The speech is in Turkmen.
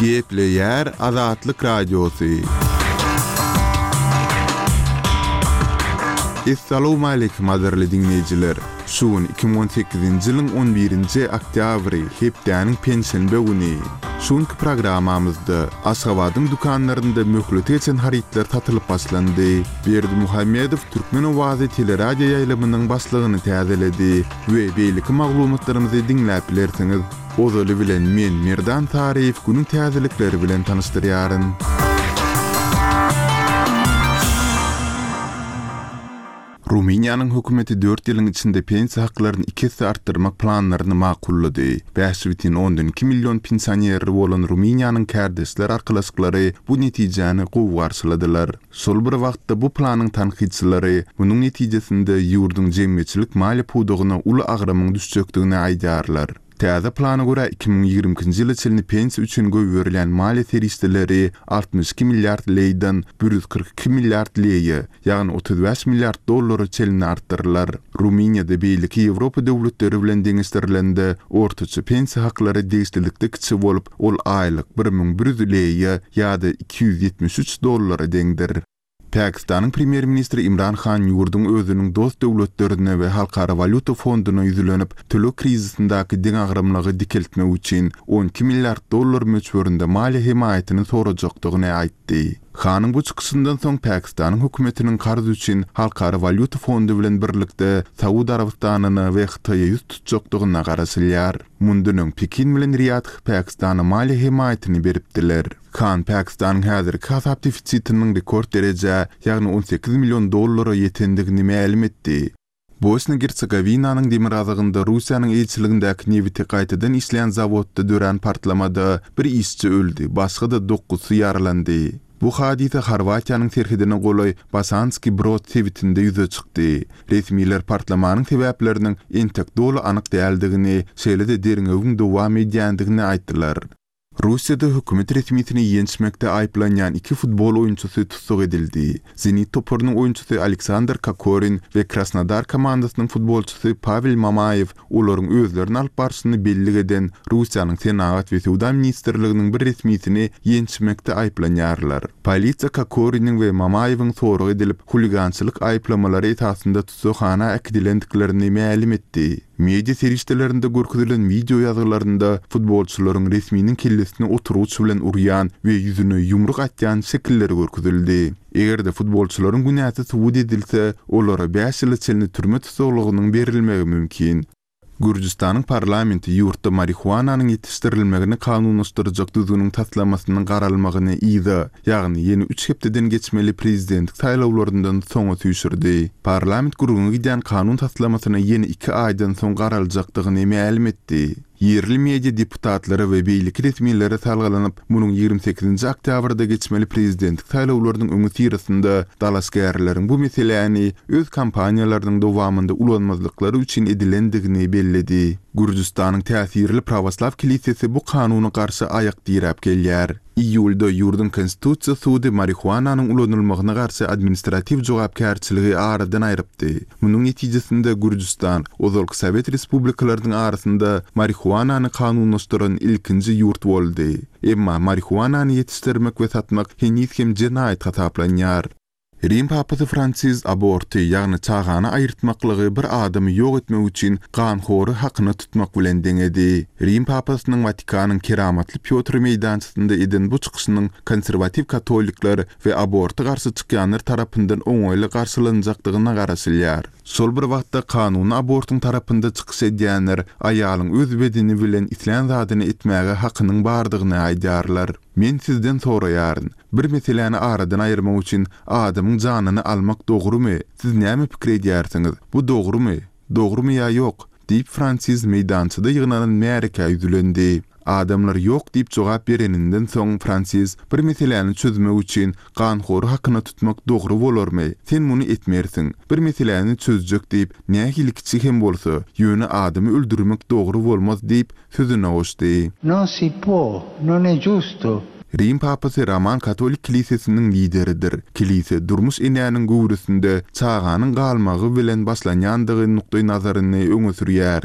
Gepleýär Azatlyk Radiosy. Essalawmaleýkim gadyrly diňleýjiler! Şu gün 2018-nji ýylyň on birinji oktýabry, hepdäniň penşenbe güni. Şu günki programmamyzda Aşgabadyň dükanlarynda möhleti geçen harytlar satylyp başlandy. Berdimuhamedow Türkmen owazy teleradioýaýlymynyň başlygyny täzeledi we beýleki maglumatlarymyzy diňläp bilersiňiz. Ozaly bilen men Merdan Saryýew günüň täzelikleri bilen tanyşdyrýaryn. Rumyniýanyň hökümeti dört ýylyň içinde pensiýa haklaryny iki esse artdyrmak planlaryny makullady. 5,2 million pensioneri bolan Rumyniýanyň kärdeşler arkalaşyklary bu netijäni gowy garşyladylar. Şol bir wagtda bu planyň tankytçylary munuň netijesinde ýurduň jemgyýetçilik maliýe pudagyna uly agramyň düşjekdigini aýdýarlar. Täze plana görä, 2022-nji ýyla çenli pensiýa üçin goýberilýän maliýe serişdeleri 62 milliard leýden 142 milliard leýe, ýagny 35 milliard dollara çenli artdyrylar. Rumyniýada beýleki Ýewropa döwletleri bilen deňeşdirilende, ortaça pensiýa haklary degişlilikde kiçi bolup, ol aýlyk 1100 leýe ýa-da 273 dollara deňdir. Pakistanyň premýer-ministri Imran Han ýurduň özüniň dost döwletlerine we Halkara walýuta fonduna ýüzlenip, töleg krizisindäki deňagramlygy dikeltmek üçin 12 milliard dollar möçberinde maliýe hemaýatyny sorajakdygyny aýtdy. Hanyň bu çykyşyndan soň Pakistanyň hökümetiniň karz üçin Halkara walýuta fondy bilen birlikde Saud Arabystanyna we Hytaýa ýüz tutjakdygyna garaşylýar. Mundan öň Pekin bilen Riýadh Pakistana maliýe hemaýatyny beripdiler. Khan Pakistanyň häzirki hasap defisitiniň rekord derejä, ýagny 18 million dollara ýetendigini mälim etdi. Bosna-Gersegowinanyň demirgazygynda Russiýanyň eýeçiligindäki nebiti gaýtadan işleýän zawodda dörän partlamada bir işçi öldi, başga-da dokuzsy ýaralandy. Bu hadysa Horwatiýanyň serhedine golaý Bosanski Brod sebitinde ýüze çykdy. Resmiler partlamanyň sebäpleriniň entek doly anyk däldigini, şeýle-de derňewiň dowam edýändigini aýtdylar. Russiýada hökümet resmisini ýençmekde aýyplanýan iki futbol oýunçysy tussag edildi. Zenit toparynyň oýunçysy Aleksandr Kokorin we Krasnodar komandasynyň futbolçysy Pawel Mamaýew olaryň özlerini alyp barşyny bellik eden Russiýanyň Senagat we söwda ministrliginiň bir resmisini ýençmekde aýyplanýarlar. Polisiýa Kokoriniň we Mamaýewiň sorag edilip, huligançylyk aýyplamalary esasynda tussaghana äkidilendiklerini mälim etdi. Media serişdelerinde görkezilen wideo ýazgylarynda futbolçylaryň resminiň kellesine oturgyç bilen urýan we ýüzüne ýumruk atýan şekilleri görkezildi. Eger-de futbolçylaryň günäsi subut edilse, olara bäş ýyla çenli türme tussaglygynyň berilmegi mümkin. Gürjüstanyň parlamenti ýurtda marihuananyň ýetişdirilmegini kanunlaşdyrjak düzgüniň taslamasynyň garalmagyny yza, ýagny ýene üç hepdeden geçmeli prezidentlik saýlawlaryndan soňa süýşürdi. Parlament gürrüňi gidýän kanun taslamasyna ýene iki aýdan soň garaljakdygyny mälim etdi. Ýerli media deputatlara we beýleki resmilere salgylanyp, munuň 28-nji oktýabrda geçmeli prezidentlik saýlawlarynyň öňüsyrasynda dalaşgärleriň bu meseläni öz kampaniýalarynyň dowamynda ulanmazlyklary üçin edilendigini belledi. Gürjüstanyň täsirli prawoslaw kilisesi bu kanuna garşy aýak diräp gelýär. Iýulda ýurduň Konstitusiýa sudy marihuananyň ulanylmagyna garşy administratiw jogapkärçiligi aradan aýrypdy. Munuň netijesinde Gürjüstan ozalky sowet respublikalarynyň arasynda marihuanany kanunlaşdyran ilkinji ýurt boldy. Emma marihuanany ýetişdirmek we satmak heniz hem jenaýat hasaplanýar. Rim papasy Fransiz aborty, ýagny çagany aýyrtmaklygy bir adamy ýok etmek üçin ganhory hakyna tutmak bilen deňedi. Rim papasynyň Watikanyň Keramatly Pýotr meýdançasynda eden bu çykyşynyň konserwatiw katolikler we aborta garşy çykýanlar tarapyndan oňaýly garşylanjakdygyna garaşylýar. Şol bir wagtda kanuny abortyň tarapynda çykyş edýänler aýalyň öz bedeni bilen islän zadyny etmäge hakynyň bardygyny aýdýarlar. Men sizden soraýaryn, bir meseläni aradan aýyrmak üçin adamyň janyny almak dogrumy? Siz näme pikir edýärsiňiz, bu dogrumy? Dogrumy ýa ýok? diýip, Fransiz meýdançada ýygnanan märekä ýüzlendi. Adamlar ýok diýip jogap bereninden soň, Fransiz, Bir meseläni çözmek üçin ganhory hakyna tutmak dogry bolarmy? Sen muny etmersiň. Bir meseläni çözjek diýip, nähili kiçi hem bolsa, ýöne adamy öldürmek dogry bolmaz diýip, sözüne goşdy. Non si può, non è giusto. Rim papasy Roman katolik kilisesiniň lideridir. Kilise durmuş enäniň göwresinde çaganyň galmagy bilen başlanýandygy nukdaý nazaryny öňe sürýär.